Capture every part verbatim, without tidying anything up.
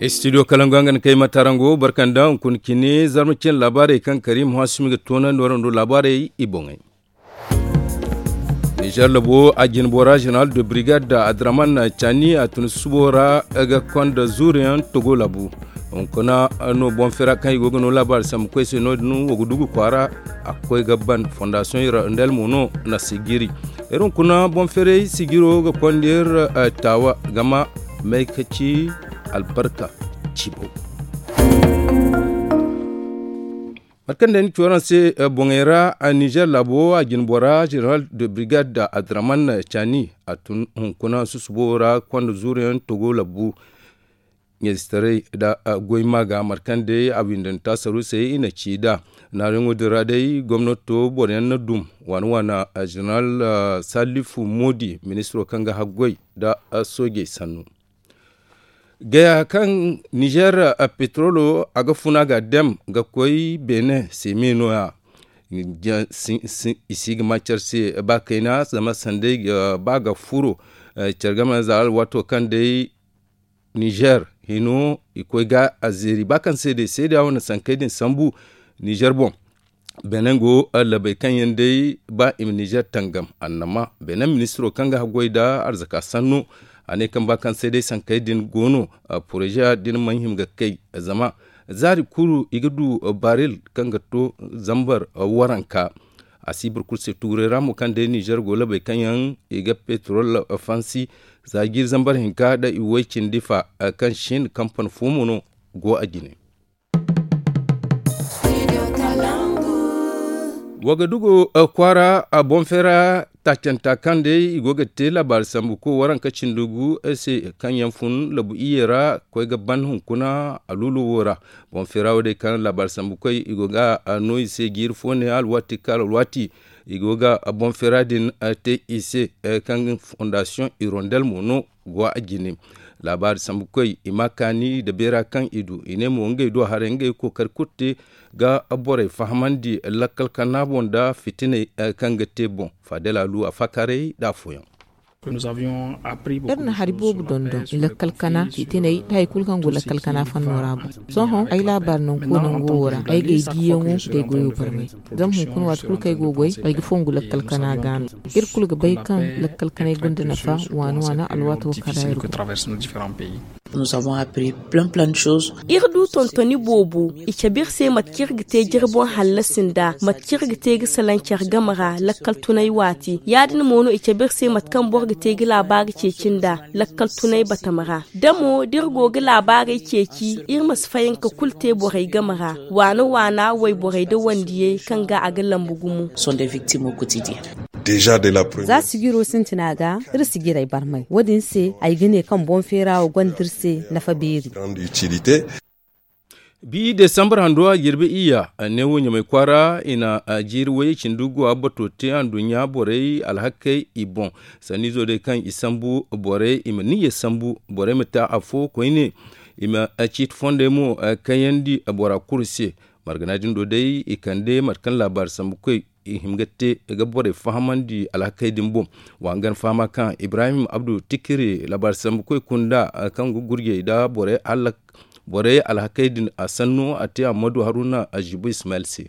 Studio kalangu yaŋ ga na kay matarango barkanda hunkuna cine zarma cine laabaarey kaŋ karim hasumi ga toonandi warando laabaarey i boŋey. Nizer labo a jinbora jeneral de brigade da adraman cani a tun subo ra ga konda zuuriyaŋ togo labu hunkuna no boŋ fera kaŋ i go ga no laabaari sambu koy se no- din wo ga dugu kwaara a ga koy ga ban fondasiyoŋ ira ndel mo no na sigiri. Iri hunkuna boŋ ferey sigiro ga konda iri taawa gama may ka ci albarka cibo. Mate kaŋ day ni ci waraŋ se boŋey ra nizer laabo a jinbora jeneral de brigade da adraman cani a tun hunkuna susubo ra konda zuuriyaŋ togo labbu ɲayzitaray da goy maaga mate kaŋ day a windanta saruusey i na ci nd'a. Naaruyaŋo din ra day gomnato boroyaŋ na dum waana waana jeneral salifu moodi ministiro kaŋ ga haggoy nda soojey sannu. Gaya kaŋ nizer petrolo a ga funa ga dem ga koy benin seme no- ya. I si ga ma care se ba kayna zama sanday ga ba ga furo care game za alwaato kaŋ day nizer hino i koy ga a zeeri ba kaŋ se day seeda wane sankey din sambu nizer boŋ. Benin go labey kaŋ yaŋ day ba i ma nizer tangam annama benin ministiro kaŋ ga haggoy nda arzaka sanno a ne kaŋ ba kaŋ se day sankey din go no poroze din mana hima ga kay zama zaari kulu i ga du baril kaŋ ga to zambar waranka. A si boro kulu se tuuray ra mo kaŋ day nizer go labey kaŋ yaŋ i ga petrol fansi za jiiri zambar hinka nda i way cindi fa kaŋ sin kampani fo mo no go a jine. Wagadugu kwaara boŋ feera taacanta kaŋ day i go ga te laabaari sambu ko waranka cindi gu se kaŋ yaŋ fun labu iyye ra koy ga ban hunkuna a luulu wo ra. Boŋ feera wo day kaŋ laabaari sambu koy i go ga no i se jiiri fo ne alwaati kaŋ alwaati i go ga boŋ feera din te i se kaŋ fondasiyoŋ irondel mo no go a jine. Laabaari sambu koy i ma kaani nda beera kaŋ i du i ne mo ngey do haray ngey kookari kulu te ga borey fahamandi lakkal kana boŋ nda fitiney kaŋ ga te boŋ. Fadel alu a faakaaray nda afooyaŋ. Iri na hari boobo dondon lakkal kana fitiney nda hari kulu kaŋ go lakkal kana fanno ra boŋ. Sohõ ay laabaari nangu koy nango wo ra ay ga ay diiyaŋo nda ay goyo barmay. Zama hunkuna waati kulu kaŋ ay go ga goy ay ga fongu lakkal kana ga no. Iri kulu ga bay kaŋ lakkal kanay gonda nafa waana waana alwaato wo kaŋ ra iri go. Iri du tontoni boobo i cabe iri se mate kaŋ iri ga te jire boŋ hallasi nd'a mate kaŋ iri ga te ga salaŋ care game ra lakkal tunay waati ya- din mo no i cabe iri se mate kaŋ boro ga te ga laabaari ceeci nd'a lakkal tunay batama ra. Da mo da iri go ga laabaarey ceeci iri ma si fayanka kulu te borey game ra waana waana wayborey nda wandiyey kaŋ ga a ga lambu gumo. Za sijiro sintina ga iri sijirey barmay wo- din se ay ga ne kaŋ boŋ feera wo gonda iri se nafa beeri. Bi desambar hando a jirbi iyya neewo ɲamay kwaara i na jiiri wayey cindi guwa bato te anduɲɲa borey alhakey i boŋ. Sanniizo day kaŋ i sambu borey i ma niyya sambu borey ma te afo koyne i ma ciiti fondey mo kayandi bora kulu se. Margana din do day i kande mate kaŋ laabaari sambukoy i hima ga te ga borey fahamandi alhakey din boŋ. Wa hangan fahama kaŋ ibrahim abdu tikiri laabaari sambukoy kunda kaŋ ga gurjey nda borey alhakey din a sanno a te ammadu haruna azibu ismail se.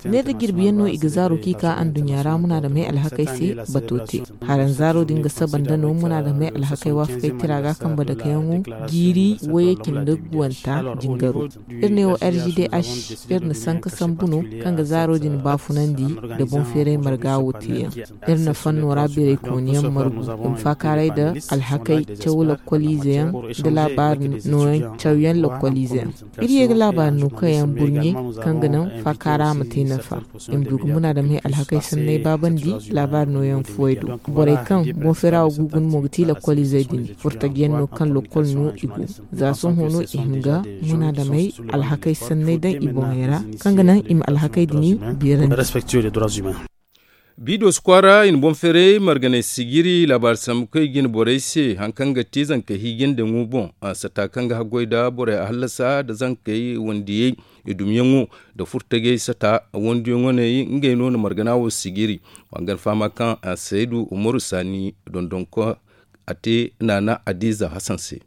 Neera jirbiyaŋ no i ga zaaro kaŋ i ka anduɲɲa ra munaadamey alhakey se bato te. Haranzaaro din ga saba nda no munaadamey alhakey waafakey tira ga kambe dakayaŋo jiiri wayey cindi guwanta jingaro. Iri ne wo r g d h iri na sanka sambu no kaŋ ga zaaro din baafunandi nda boŋ feeray marga wo teeyaŋ. Iri na fanno ra beeraykooniyaŋ margu i ma faakaaray nda alhakey caw lakkoliizeyaŋ nda laabaari nooyaŋ cawyaŋ lakkoliizeyaŋ. Iri ye ga laabaari no kaŋ yaŋ burɲe kaŋ ga naŋ faakaara ma te nafa. I ma du ga munaadamey alhakey sanney baabandi laabaari nooyaŋ fuwey do. Borey kaŋ boŋ feera wo gugun mo ga ti lakkoliizey din furtajiyaŋ no kaŋ lakkol no i go. Za sohõ no i hima ga munaadamey alhakey sanney daŋ i boŋey ra kaŋ ga naŋ i ma alhakey din beerandi. Bidos kwaara i na boŋ feeray marganay sijiri laabaari sambu kaŋ i ga hin borey se hari kaŋ ga te zanka hiijindaŋo boŋ. Sata kaŋ ga haggoy nda borey a hallasa nda zankey wandiyey i dumyaŋo nda furtajey sata wandiyaŋo ne ngey no na margana wo sijiri. Wa hangan fahama kaŋ saydu umaru saani dondonko a te naana adiiza hasan se.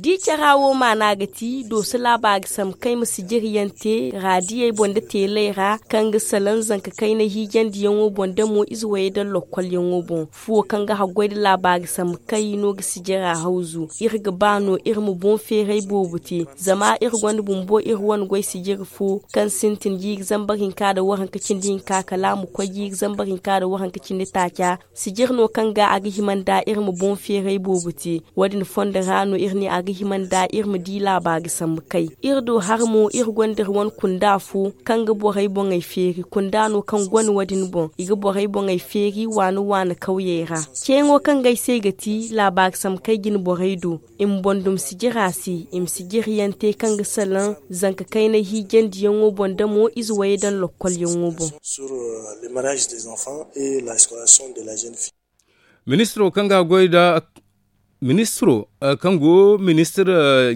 Di cara wo maana ga ti dooso laabaari sambu kaŋ ay ma sijiriyaŋ te raadiyey boŋ nda teeley ra kaŋ ga salaŋ zanka kayna hiijandiyaŋo boŋ nda mo ize wayey daŋ lokkolyaŋo boŋ. Fuwo kaŋ ga haggoy nda laabaari sambu kay no ga sijira hawzu. Iri ga ba no iri ma boŋ feeray boobo te zama iri gonda bumbo iri wane goy sijiri fo kaŋ sintin jiiri zambar hinka nda waranka cindi hinka kala a ma koy jiiri zambar hinka nda waranka cindi taaca. Sijir no kaŋ ga a ga hima nda iri ma boŋ feeray boobo te. Wo- din fondo ra no iri ne a ga hima nda iri ma di laabaari sambu kay. Iri do har mo iri gonda iri wane kunda fo kaŋ ga borey boŋey feeri kunda no kaŋ gone wo- din boŋ i ga borey boŋey feeri waani waani kawyey ra. Ceeyaŋo kaŋ ga ay se ga ti laabaari sambu kay jine borey do i ma boŋ dum sijira se i ma sijiriyaŋ te kaŋ ga salaŋ zanka kayna hiijandiyaŋo boŋ nda mo ize wayey daŋ lokkolyaŋo boŋ. Ministiro kaŋ ga goy da ministiro kaŋ go ministir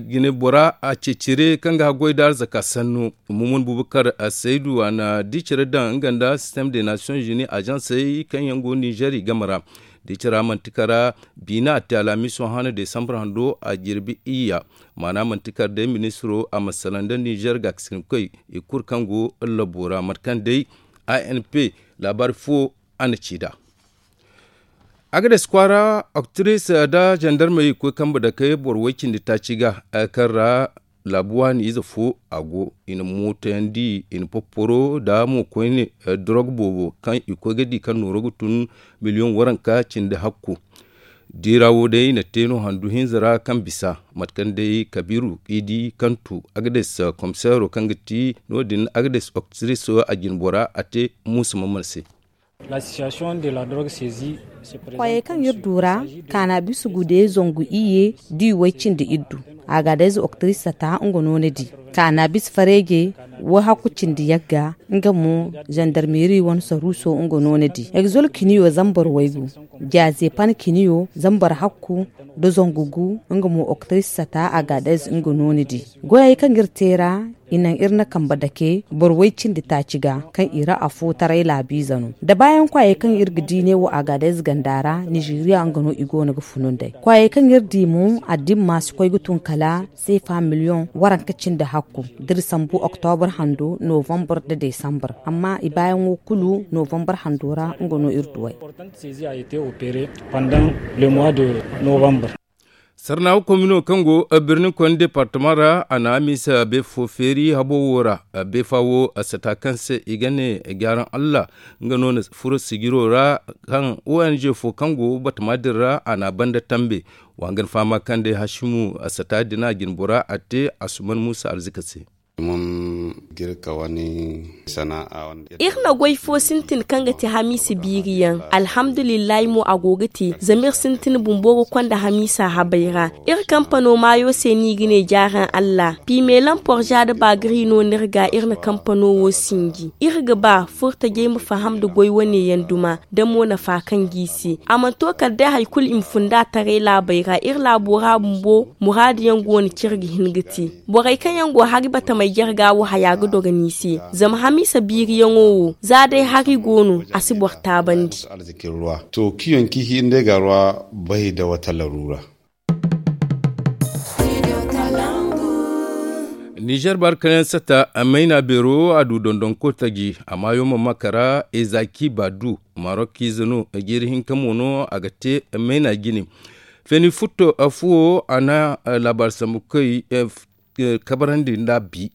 jine bora a ceecire kaŋ ga goy da arzaka sannu mumun bubakar saydu a na di care daŋ nga nda système des nations unies agencey kaŋ yaŋ go niger i game ra. Di cara manti kara biina a te alhamiso hana desambar hando a jirbi iyya. Maana manti kara day ministiro a ma salaŋ nda niger gaakasinkoy i kulu kaŋ go labo ra mate kaŋ day anp laabaari fo a na ci nd'a. Agades kwaara oktiris nda zandarmey koy kambe dake boro way cindi taaci ga kaŋ ra laabu waani ize fo a go i na mootayandi i na popporo nda mo koyne dorog boobo kaŋ i koy ga di kaŋ nooro ga tun miliyoŋ waranka cindi hakku. Diira wo day i na te no handu hinza ra kaŋ bisa mate kaŋ day kabiiru i di kaŋ tu agades komiseero kaŋ ga ti no- din agades oktiris a jinbora a te muusa maman se. Kwaayey kaŋ iri du ra kaanabis gude zangu iyye da i way cindi iddu. Agadez oktiris sata nga no ni di kaanabis fareeje wayhakku cindi yagga nga mo zandarmeeri wane saruuso nga no ni di egzol kiniyo zambar waygu jaaze pan kiniyo zambar hakku da zangu gu nga mo oktiris sata agadez nga no ni di. Goyey kaŋ iri te ra i naŋ iri na kambe dake boro way cindi taaci ga kaŋ i ra afo taray laabiize no da baayaŋ kwaayey kaŋ iri ga di neewo agadez ganda ra nizeeriya nga no i go no ga funu nd'ey kwaayey kaŋ iri di mo addimma si koy ga tun kala seefa miliyoŋ waranka cindi hakku da iri sambu oktobur hando novambar nda desambar amma i baayaŋo kulu novambar hando ra nga no iri duw'ey. Sarnaawa komino kaŋ go birni koyne departama ra a na hamiisa beefo feeri habo wo ra. Beefa wo sata kaŋ se i ga ne gaaran allah nga no na furo sijiro ra kaŋ ong fo kaŋ go batama din ra a na a banda tambe. Wa hangan fahama kaŋ day hasimu sata din a jinbora a te asuman muusa arzika se. Iri na goy fo sintin kaŋ ga ti hamiisa biiri yaŋ. Alhamdulillahi mo a go ga te zama iri sintin bumbo ga konda hamiisa habay ra. Iri kampano maayo se no i ga ne jaaran allah piimeelan porza nda baagari no no iri ga iri na kampano wo sinji iri ga ba furtajey ma faham nda goy wane yaŋ duma da mo nafa kaŋ g'i se a mana to kala day hari kulu i ma fun nd'a taray laabey ra iri laabo ra bumbo muraadu yaŋ go no kaŋ iri ga hin ga te. Borey kaŋ yaŋ go hari batamey jarga wo haya ga dogo no i se. Zama hamiisa biiriyaŋo wo za day hari go no a si boro taabandi. To kiyoŋ kihi nda ay ga a rwa bay da wata laruura. Nizer baarkanayaŋ sata mayna beero a du dondonko taji a maayo ma makara ezaki baadu marok ize no jiiri hinka mo no a ga te mayna jine. Feeni futto fuwo a na laabaari sambu koy kabarandi nd'a bi.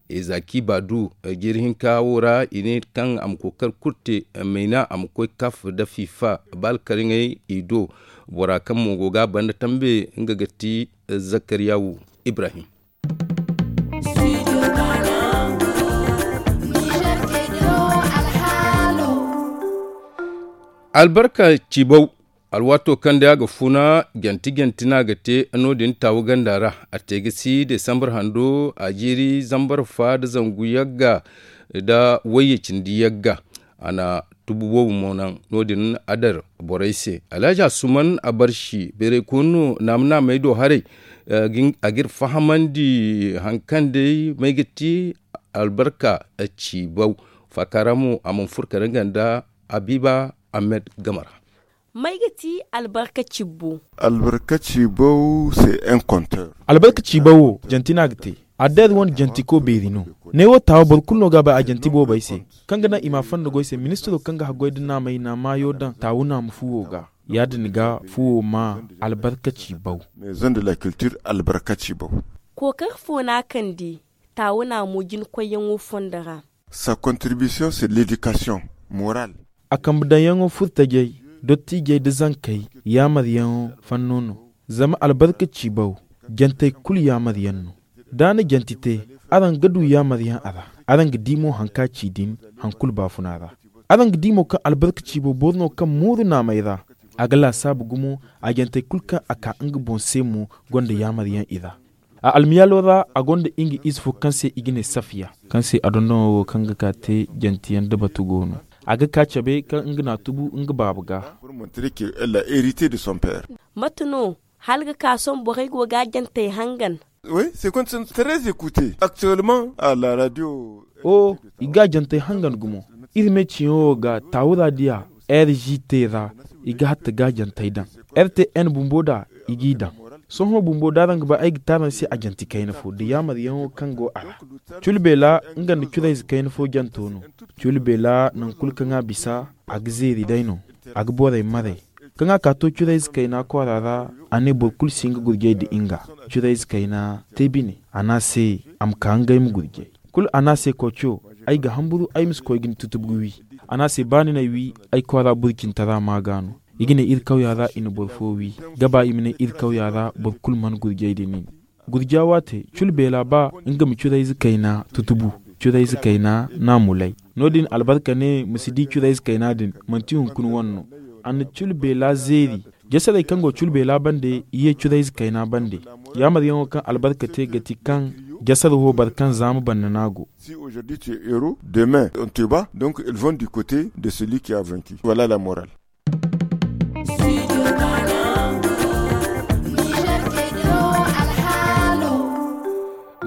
Ezaki baadu jiiri hinka wo ra i ne kaŋ a ma kookari kulu te mayna a ma koy kaf nda fifa ba alkariŋey i do. Bora kaŋ mo go ga a banda tambe nga ga ti zakariyawu ibrahim. Albarka ciibaw. Alwaato kaŋ day a ga funa janti janti no a ga te no- din taawu ganda ra. A te ga si desambar hando a jiiri zambar fa nda zangu yagga nda wayye cindi yagga. A na tubu boobo mo naŋ no- din a dar borey se alhazi asuman a barsi beerey koonu no naama naamey do haray. A ga iri fahamandi hari kaŋ day may ga ti albarka ciibaw. Faaka ra mo a mana furo kala nga nda habiiba ahmed game ra. May ga ti albarka cibbo? Albarka cibbo se enkonter. Albarka cibbo wo janti no a ga te. Addeer wane jantiko beeri no. Ne wo taawa boro kulu no ga a bay a janti boobey se, kaŋ ga naŋ i ma a fanda goy se ministiro kaŋ ga haggoy nda naamey na maayo daŋ taawu naama fuwo ga. Ya- din ga fuwo ma albarka cibbo. Maison de la culture albarka cibbo. Kookari fo no a kande taawu naamo jina koyyaŋo fondo ra. Sa contribution sur l'éducation morale. A kambe daŋyaŋo furtajey, dottiijey nda zankey yaamaryaŋo fanno no. Zama albarka ciibaw jantey kulu yaamaryaŋ no. Da a na janti te, araŋ ga du yaamaryaŋ a ra. Araŋ ga di mo haŋ kaŋ a ci din haŋ kulu baafuna ra. Araŋ ga di mo kaŋ albarka ciibaw boro no kaŋ mooru naamey ra. A ga laasaabu gumo. A jantey kulu kaŋ a ka nga boŋ se mo gonda yaamaryaŋ i ra. A almiyaalo ra a gonda nga ize fo kaŋ se i ga ne safiya, kaŋ se a dondonoo wo kaŋ ga ka te jantiyaŋ da batu go no. A ga ka cabe kaŋ nga n'a tubu nga baaba ga. Mate no hala ga ka sohõ borey go ga a jantey hangan? Wi se konte se très écouté actuellement a la radio. O i ga a jantey hangan gumo. Iri me ciyaŋo wo ga taawu ra diya r g t ra. I ga hatta ga a jantey daŋ. R t n bumbo da i g'i daŋ. Sohõ bumbo da araŋ ga ba ay ga te araŋ se a janti kayna fo da yaamaryaŋo kaŋ go a ra. Culu beela nga nda curayze kayna fo janto no. Culu beela nangu kulu kaŋ a bisa a ga zeeri day no. A ga borey maray. Kaŋ a ka to curayze kayna kwaara ra, a ne boro kulu si nga gurjay nda nga. Curayze kayna te bine. A ne a se a ma ka ngey ma gurjay. Kulu a ne a se koco, ay ga hamburu ay ma si koy ga ni tutubu ga wi. A ne a se ba ni n'ay wi, ay kwaara burcintara ma ga no. I ga ne iri kawya ra i na boro fo wi. Ga ba i ma ne iri kawya ra boro kulu mana gurjay da nin. Gurja waate culu beela ba nga ma curayze kayna tutubu. Curayze kayna n'a mulay. No- din albarka ne ma si di curayze kayna din. Manti hunkuna wane no. A na culu beela zeeri. Jasarey kaŋ go culu beela bande i ye curayze kayna bande. Yaamaryaŋo kaŋ albarka te ga ti kaŋ jasar wo boro kaŋ zaama banda no a go. Si aujourd'hui tu es heureux, demain on te bat, donc ils vont du côté de celui qui a vaincu. Voilà la morale.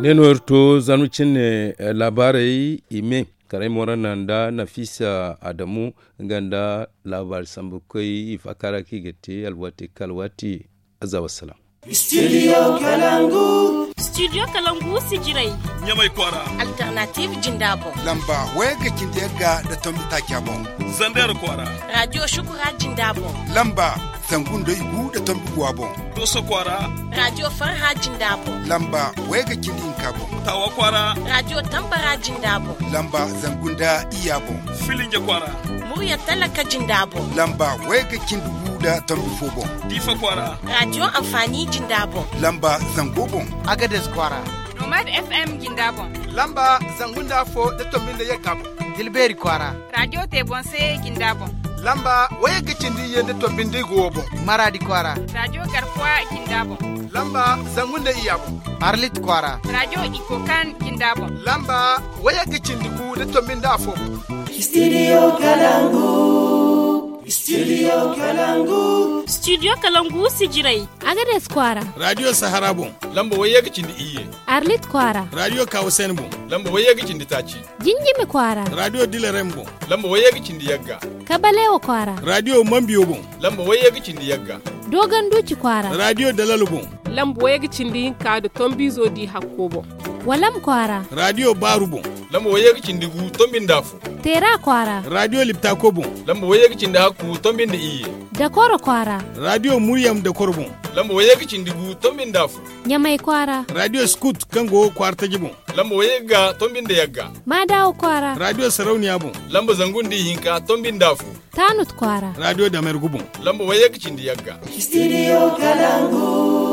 Ne no iri to zanmu cine laabaarey i me. Karay morana nda nafisa adamu nga nda laabaari sambukoy i faakara kaŋ i ga te alwaati kala waati. Azza wassalam. Studio kalangu. Studio kalangu sijirey. Ɲamay kwaara. Alternative jinda boŋ. Lamba waya ga cindi yagga da tombi taaca boŋ. Zander kwaara. Radio shukura jinda boŋ. Lamba zangu nda igu da tombi guwa boŋ. Doso kwaara. Radio farha jinda boŋ. Lamba waya ga cindi hinka boŋ. Tawa kwaara. Radio tambara jinda boŋ. Lamba zangu nda iya boŋ. Filinja kwaara. Murya talaka jinda boŋ. Lamba waya ga cindi gu da tombi fo boŋ. Difa kwaara. Radio amfani jinda boŋ. Lamba zango boŋ. Agades kwaara. Nomad f m jinda boŋ. Lamba zangu nda afo da tombi nda yagga boŋ. Tilberi kwaara. Radio te boŋ se jinda boŋ. Lamba waya ga cindi iyye nda tombi nda igo boŋ. Maradi kwaara. Radio garkuwa jinda boŋ. Lamba zangu nda iya boŋ. Arlit kwaara. Radio ikokan jinda boŋ. Lamba waya ga cindi gu da tombi nda afo boŋ. Studio kalangu. Studio kalangu. Studio kalangu sijirey. Agades kwaara. Radio sahara boŋ. Lamba waya ga cindi iyye. Arlit kwaara. Radio kawasen boŋ. Lamba waya ga cindi taaci. Jinjimi kwaara. Radio dilerem boŋ. Lamba waya ga cindi yagga. Kabalewa kwaara. Radio mambiyo boŋ. Lamba waya ga cindi yagga. Dogon duci kwaara. Radio dalalo boŋ. Lamba waya ga cindi hinka da tombizo di hakko boŋ. Walam kwaara. Radio baaru boŋ. Lamba waya ga cindi gu tombi nda afo. Teera kwaara. Radio liptako boŋ. Lamba waya ga cindi hakku tombi nda iyye. Dakoro kwaara. Radio muryam dakoro boŋ. Lamba waya ga cindi gu tombi nda afo. Ɲamay kwaara. Radio scout kaŋ go kwaara taji boŋ. Lamba wayagga tombi nda yagga. Maadawa kwaara. Radio sarauniya boŋ. Lamba zangu nda ihinka tombi nda afo. Taanut kwaara. Radio damergu boŋ. Lamba wayagga cindi yagga. Studio kalangu.